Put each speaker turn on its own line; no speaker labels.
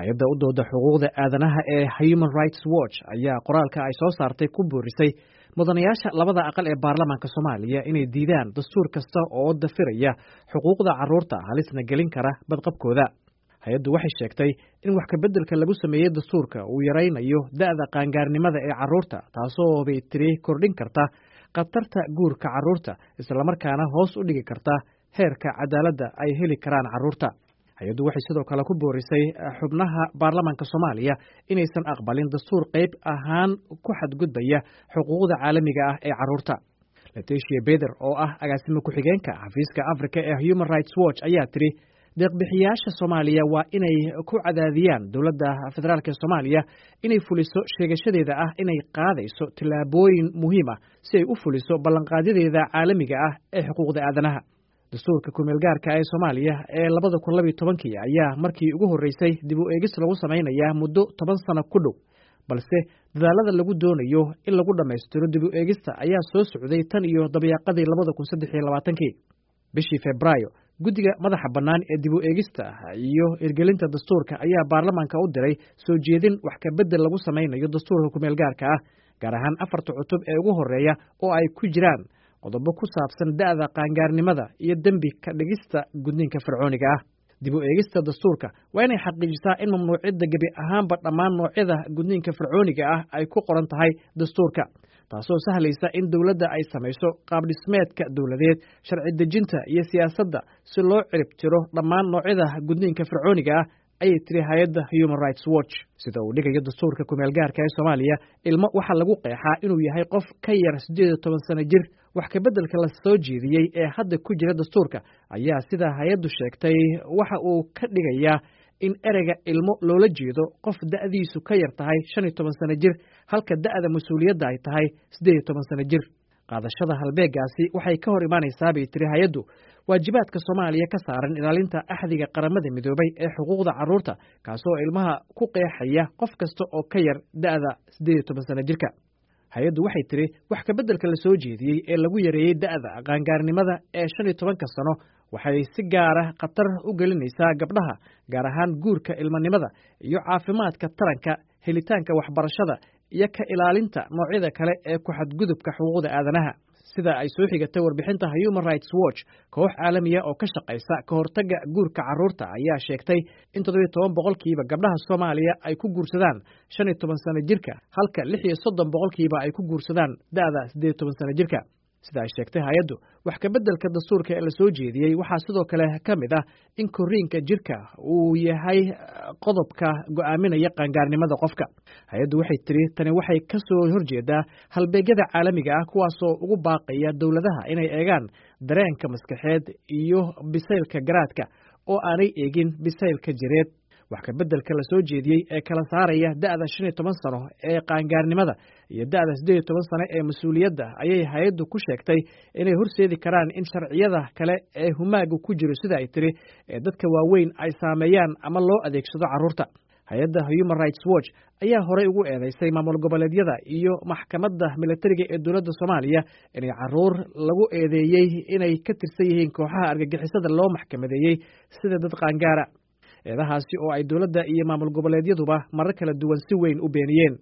Hay-adda u dooda xuquuqda aadanaha ee Human Rights Watch ayaa qoraalka ay soo saartay ku boorisay mudanayaasha labada aqal ee baarlamaanka Soomaaliya inay diidaan dastuur kasta oo dafiraya xuquuqda carruurta, halisna gelin kara badqabkooda. Hay-addu waxay sheegtay in wax kabeddelka lagu sameeyey dastuurka uu yaraynayo da'da qaangaarnimada ee carruurta, taasoo bay tiri kordhin karta khatarta guurka carruurta, islamarkaana hoos u dhigi karta heerka cadaaladda ay heli karaan carruurta. Hay-addu waxay sidoo kale ku boorisay xubnaha baarlamaanka Soomaaliya inaysan aqbalin dastuur qayb ahaan ku xadgudbaya xuquuqda caalamiga ah ee carruurta. Letitia Beder oo ah agaasimo ku-xigeenka xafiiska Africa ee Human Rights Watch ayaa tiri deeqbixiyaasha Soomaaliya waa inay ku cadaadiyaan dowladda federaalk ee Soomaaliya inay fuliso sheegashadeeda ah inay qaadayso tillaabooyin muhiim ah si ay u fuliso ballanqaadyadeeda caalamiga ah ee xuquuqda aadanaha. Dastuurka kumeelgaarka ee Soomaaliya ee 2012-kii ayaa markii ugu horreysay dib u eegis lagu samaynayaa muddo 10 sano ku dhow, balse dadaalada lagu doonayo in lagu dhammaystiro dib u eegista ayaa soo socday tan iyo dabayaaqadii 2023-kii. Bishii Febraayo, guddiga madaxa bannaan ee dib u eegista iyo hirgelinta dastuurka ayaa baarlamaanka u diray soo jeedin wax kabeddel lagu samaynayo dastuurka kumeelgaarka ah, gaar ahaan afarta cutub ee ugu horreeya oo ay ku jiraan qodobo ku saabsan da'da qaangaarnimada iyo dembi ka dhigista gudniinka fircooniga ah. Dib u eegista dastuurka waa inay xaqiijisaa in mamnuucidda gebi ahaanba dhammaan noocyada gudniinka fircooniga ah ay ku qoran tahay dastuurka, taasoo sahlaysa in dowladda ay samayso qaabdhismeedka dowladeed, sharci dejinta iyo siyaasadda si loo cirib tiro dhammaan noocyada gudniinka fircooniga ah, ayay tiri hay-adda Human Rights Watch. Sida uu dhigayo dastuurka kumeelgaarka ee Soomaaliya, ilmo waxaa lagu qeexaa inuu yahay qof ka yar 18 sano jir. Wax kabeddelka la soo jeediyey ee hadda ku jira dastuurka ayaa, sida hay-addu sheegtay, waxa uu ka dhigayaa in ereyga ilmo loola jeedo qof da'diisu ka yar tahay 15 sano jir, halka da'da mas-uuliyadda ay tahay 18 sano jir. Qaadashada halbeegaasi waxay ka hor imaanaysaa, bay tiri hay-addu, waajibaadka Soomaaliya ka saaran ilaalinta axdiga Qaramada Midoobay ee xuquuqda carruurta, kaasoo ilmaha ku qeexaya qof kasta oo ka yar da'da 18 sano jirka. Hay-addu waxay tiri wax kabeddelka la soo jeediyey ee lagu yareeyey da'da qaangaarnimada ee 15-ka sano waxay si gaara khatar u gelinaysaa gabdhaha, gaar ahaan guurka ilmanimada iyo caafimaadka taranka, helitaanka waxbarashada iyo ka ilaalinta noocyada kale ee ku xadgudubka xuquuqda aadanaha. Sida ay soo xigatay warbixinta Human Rights Watch, koox caalamiya oo ka shaqaysa ka hortagga guurka carruurta ayaa sheegtay in 17% gabdhaha Soomaaliya ay ku guursadaan 15 sano jirka, halka 36% ay ku guursadaan da'da 18 sano jirka. Sida ay sheegtay hay-addu, wax kabeddelka dastuurka ee la soo jeediyey waxaa sidoo kale ka mid ah in korriinka jirka uu yahay qodobka go'aaminaya qaangaarnimada qofka. Hay-addu waxay tiri tani waxay ka soo horjeedaa halbeegyada caalamiga ah, kuwaasoo ugu baaqaya dowladaha inay eegaan dareenka maskaxeed iyo bisaylka garaadka oo aanay eegin bisaylka jireed. Wax kabeddelka la soo jeediyey ee kala saaraya da'da 15 sano ee qaangaarnimada iyo da'da 18 sano ee mas-uuliyadda ayay hay-addu ku sheegtay inay horseedi karaan in sharciyada kale ee humaaga ku jiro, sida ay tiri, ee dadka waaweyn ay saameeyaan ama loo adeegsado carruurta. Hay-adda Human Rights Watch ayaa horey ugu eedeysay maamul goboleedyada iyo maxkamadda militariga ee dowladda Soomaaliya inay carruur lagu eedeeyey inay ka tirsan yihiin kooxaha argagixisada loo maxkamadeeyey sida dad qaangaara, eedahaasi oo ay dowladda iyo maamul goboleedyaduba marar kala duwan si weyn u beeniyeen.